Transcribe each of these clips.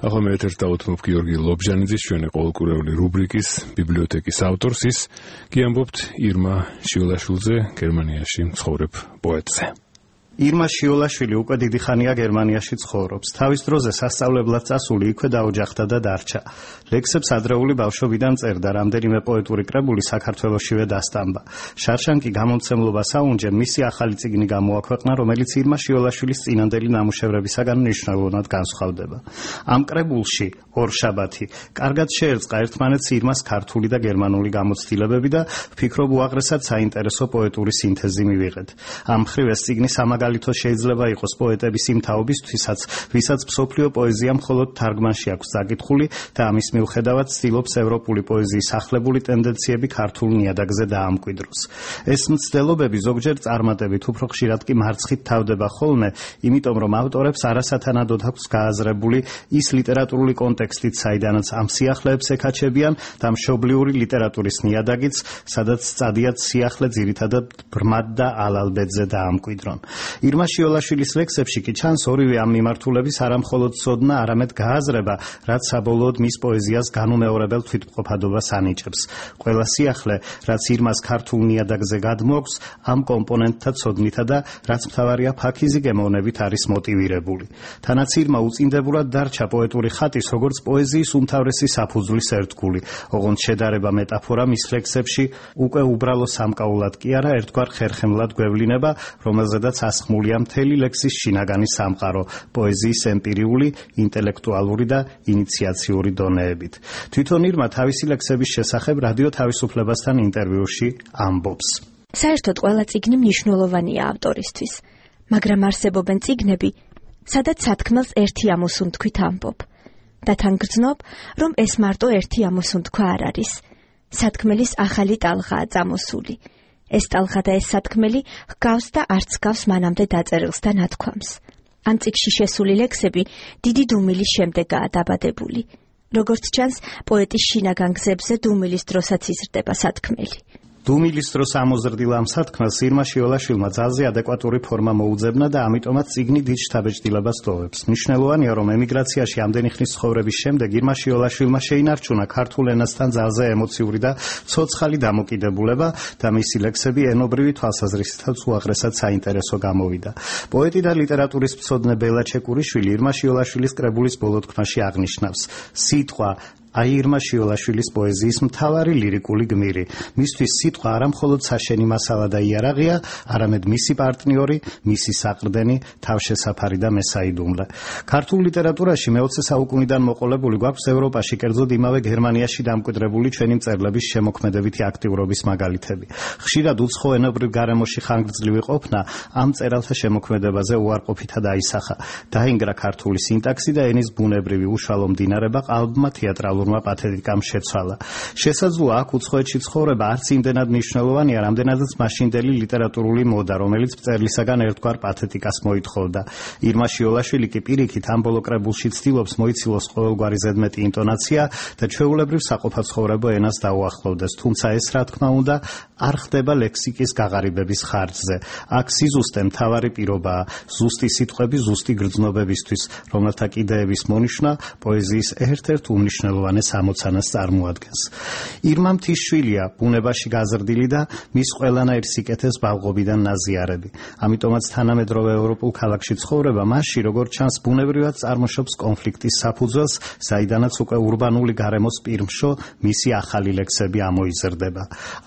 ახლა მე ერთ დავუთმობ გიორგი ლობჟანიძის ჩვენი ყოველკვირეული რუბრიკის ბიბლიოთეკის ავტორს, ის კი ამბობთ ირმა შიოლაშვილზე, გერმანიაში მცხოვრებ პოეტზე. ირმა შიოლაშვილი უკვე დიდი ხანია გერმანიაში ცხოვრობს. თავის დროზე სასწავლებლად წასული იქვე დაოჯახდა და დარჩა. ლექსებს ადრეული ბავშვობიდან წერდა, რამდენიმე პოეტური კრებული საქართველოშივე დასტამბა. შარშანკი გამომცემლობა საუნჯემ მისი ახალი წიგნი გამოაქვეყნა, რომელიც ირმა შიოლაშვილის წინანდელი ნამუშევრებისაგან მნიშვნელოვნად განსხვავდება. ამ კრებულში ორშაბათი კარგად შეერწყა ერთმანეთს ირმას ქართული და გერმანული გამოცდილებები და ვფიქრობ უაღრესად საინტერესო პოეტური სინთეზი მივიღეთ. ამ მხრივ ეს წიგნი მაგალითო შეიძლება იყოს პოეტების იმ თაობისთვისაც, ვისაც მსოფლიო პოეზია მხოლოდ თარგმანში აქვს წაკითხული და ამის მიუხედავად ცდილობს ევროპული პოეზიის ახლებული ტენდენციები ქართულ ნიადაგზე დაამკვიდროს. ეს მცდელობები ზოგჯერ წარმატებით, უფრო ხშირად კი მარცხით თავდება ხოლმე, იმიტომ რომ ავტორებს არასათანადოდ აქვს გააზრებული ის ლიტერატურული კონტექსტით, საიდანაც ამ სიახლეებს ეკაჩებიან და მშობლიური ლიტერატურის ნიადაგიც, სადაც წადიათ სიახლე ძირითადად ბრმად და ალალბედზე დაამკვიდრონ. ირმა შიოლაშვილის ლექსებში კი ჩანს ორივე ამ მიმართულების არამხოლოდ ცოდნა, არამედ გააზრება, რაც საბოლოოდ მის პოეზიას განუმეორებელ თვითმყოფადობას ანიჭებს. ყველა სიახლე, რაც ირმას ქართულ ნიადაგზე გადმოაქვს, ამ კომპონენტთა ცოდნითა და რაც მთავარია ფაქიზი გემოვნებით არის მოტივირებული. თანაც ირმა უწინდებურად დარჩა პოეტური ხატის, როგორც პოეზიის უმთავრესი საფუძვლის ერთგული, ოღონდ შედარება მეტაფორა მის ლექსებში უკვე უბრალო სამკაულად კი არა, ერთგვარ ხერხემლად გვევლინება, რომელზედაც ასხმულია მთელი ლექსის შინაგანი სამყარო, პოეზიის ემპირიული, ინტელექტუალური და ინიციაციური დონეებით. თვითონ ირმა თავისი ლექსების შესახებ რადიო თავისუფლებასთან ინტერვიუში ამბობს. საერთოდ ყველა წიგნი მნიშვნელოვანია ავტორისთვის, მაგრამ არსებობენ წიგნები, სადაც სათქმელს ერთი ამოსუნთქვით ამბობ. და თან გრძნობ, რომ ეს მარტო ერთი ამოსუნთქვა არ არის. სათქმელის ახალი ტალღაა წამოსული. ეს ტალღა და ეს სათქმელი ჰგავს და არც ჰგავს მანამდე დაწერილს და ნათქვამს. ამ წიგნში შესული ლექსები დიდი დუმილის შემდეგაა დაბადებული. როგორც ჩანს, პოეტის შინაგან გზებზე დუმილის დროსაც იზრდება სათქმელი. დუმილის დროს ამოზრდილ ამ სათქმელს ირმა შიოლაშვილმა ძალზე ადეკვატური ფორმა მოუძებნა და ამიტომაც წიგნი დიდ შთაბეჭდილებას ტოვებს. მნიშვნელოვანია, რომ ემიგრაციაში ამდენი ხნის ცხოვრების შემდეგ ირმა შიოლაშვილმა შეინარჩუნა ქართულ ენასთან ძალზე ემოციური და ცოცხალი დამოკიდებულება და მისი ლექსები ენობრივი თვალსაზრისითაც უაღრესად საინტერესო გამოვიდა. პოეტი და ლიტერატურის მცოდნე ბელა ჩეკურიშვილი ირმა შიოლაშვილის კრებულის ბოლო თქმაში აღნიშნავს: სიტყვა ირმა შიოლაშვილის პოეზიის მთავარი ლირიკული გმირი. მისთვის სიტყვა არა მხოლოდ საშენი მასალა და იარაღია, არამედ მისი პარტნიორი, მისი საყრდენი, თავშესაფარი და მესაიდუმლე. ქართულ ლიტერატურაში მე-20 საუკუნიდან მოყოლებული გვაქვს ევროპაში, კერძოდ იმავე გერმანიაში დამკვიდრებული ჩვენი მწერლების შემოქმედებითი აქტიურობის მაგალითები. ხშირად უცხო ენობრივ გარემოში ხანგრძლივი ყოფნა ამ მწერალთა შემოქმედებაზე უარყოფითა დაისახა. დაინგრა ქართული სინტაქსი და ენის ბუნებრივი უშუალო მდინარება ყალბმა თეატრალურმა პათეტიკამ შეცვალა. შესაძლოა აქ უცხოეთში ცხოვრება არც იმდენად მნიშვნელოვანია, რამდენადაც მაშინდელი ლიტერატურული მოდა, რომელიც მწერლისაგან ერთგვარ პათეტიკას მოითხოვდა. ირმა შიოლაშვილი კი პირიქით ამ ბოლო კრებულში ცდილობს მოიცილოს ყოველგვარი ზედმეტი ინტონაცია და ჩვეულებრივ საყოფაცხოვრებო ენას დაუახლოვდეს, თუმცა ეს რა თქმა უნდა არ ხდება ლექსიკის გაღარიბების ხარჯზე. აქ სიზუსტე მთავარი პირობაა, ზუსტი სიტყვები ზუსტი გრძნობებისთვის, რომელთა კიდეების მონიშნა პოეზიის ერთ-ერთ უმნიშვნელოვანეს ამოცანას წარმოადგენს. ირმა მთისშვილია, ბუნებაში გაზრდილი და მის ყველანაირ სიკეთეს ბავღობიდან ნაზიარები. ამიტომაც თანამედროვე ევროპულ ქალაქში ცხოვრება მასში, როგორც ჩანს, ბუნებრივად წარმოშობს კონფლიქტის საფუძველს, საიდანაც უკვე ურბანული გარემოს პირმშო მისი ახალი ლექსები ამოიზრდება.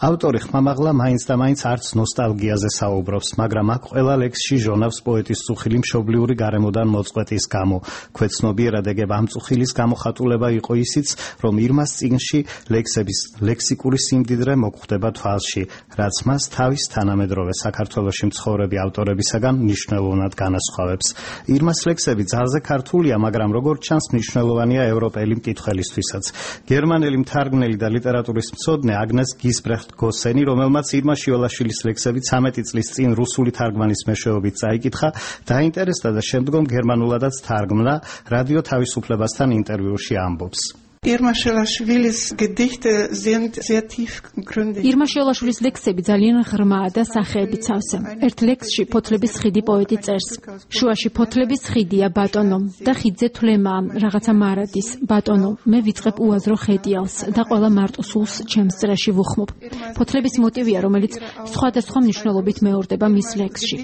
ავტორი ხმამაღლა მაინც და მაინც არც ნოსტალგიაზე საუბრობს, მაგრამ აქ ყველა ლექსში ჟონავს პოეტის წუხილი მშობლიური გარემოდან მოწყვეტის გამო. ქვეცნობიერად ეგებ ამ წუხილის გამოხატულება იყო ისიც, რომ ირმას წიგნში ლექსების ლექსიკური სიმდიდრე მოგხვდება თვალში, რაც მას თავის თანამედროვე საქართველოში მცხოვრები ავტორებისაგან მნიშვნელოვნად განასხვავებს. ირმას ლექსები ძალზე ქართულია, მაგრამ როგორც ჩანს, მნიშვნელოვანია ევროპელი მკითხველისთვისაც. გერმანელი მთარგმნელი და ლიტერატურის მცოდნე აგნეს გისბრეხტ გოსენი, რომელმაც ირმა შიოლაშვილის ლექსები 13 წლის წინ რუსული თარგმანის მეშვეობით წაიკითხა, დაინტერესდა და შემდგომ გერმანულადაც თარგმნა, რადიო თავისუფლებასთან ინტერვიუში ამბობს. Irma Schiolaschwilis Gedichte sind sehr tiefgründig. Irma Schiolaschwilis ლექსები ძალიან ღრმაა და სახეებით სავსე. ერთ ლექსში ფოთლების ხიდი პოეტი წერს. შუაში ფოთლების ხიდია ბატონო და ხიდზე თვლემაა რაღაცა მარადის. ბატონო, მე ვიწყებ უაზრო ხედიალს და ყველა მარტო სულს ჩემს წრეში ვუხმობ. ფოთლების მოტივია, რომელიც სხვადასხვა მნიშვნელობით მეორდება მის ლექსში.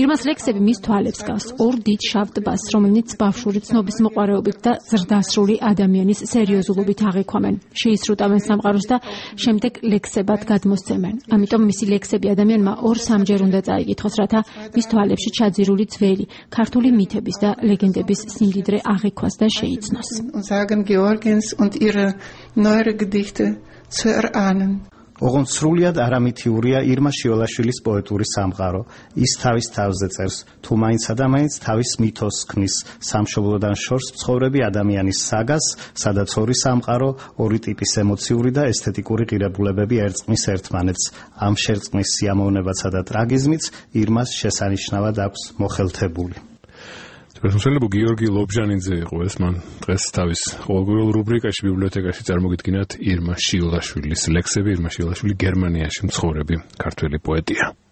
ირმას ლექსები მის თვალებს გავს ორ დიდ შავ ტბას, რომელიც ბავშვური ცნობის მოყვარეობით და ზრდასრული ადამიანის სერიოზულობით აღიქვამენ. შეისრუტავენ სამყაროს და შემდეგ ლექსებად გადმოსცემენ. ამიტომ მისი ლექსები ადამიანმა ორ-სამჯერ უნდა წაიკითხოს, რათა მის თვალებში ჩაძირული ძველი ქართული მითების და ლეგენდების სიმდიდრე აღიქვას და შეიცნოს. Sagen Georgens und ihre neuere Gedichte zu erahnen. ოღონდ სრულიად არამითიურია ირმა შიოლაშვილის პოეტური სამყარო. ის თავის თავზე წერს, თუ მაინც და მაინც თავის მითოს ქმნის, სამშობლოდან შორს მცხოვრები ადამიანის საგას, სადაც ორი სამყარო, ორი ტიპის ემოციური და ესთეტიკური ღირებულებები ერწყმის ერთმანეთს. ამ შერწყმის სიამოვნებასა და ტრაგიზმიც ირმას შესანიშნავად აქვს მოხელთებული. ප්‍රოფესორ გიორგი ლობჟანიძე იყო ეს, მან დღეს თავის ყოველგვარულ რუბრიკაში ბიბლიოთეკაში წარმოგიდგინათ ირმა შიოლაშვილის ლექსები. ირმა შიოლაშვილი გერმანიაში მცხოვრები ქართველი პოეტია.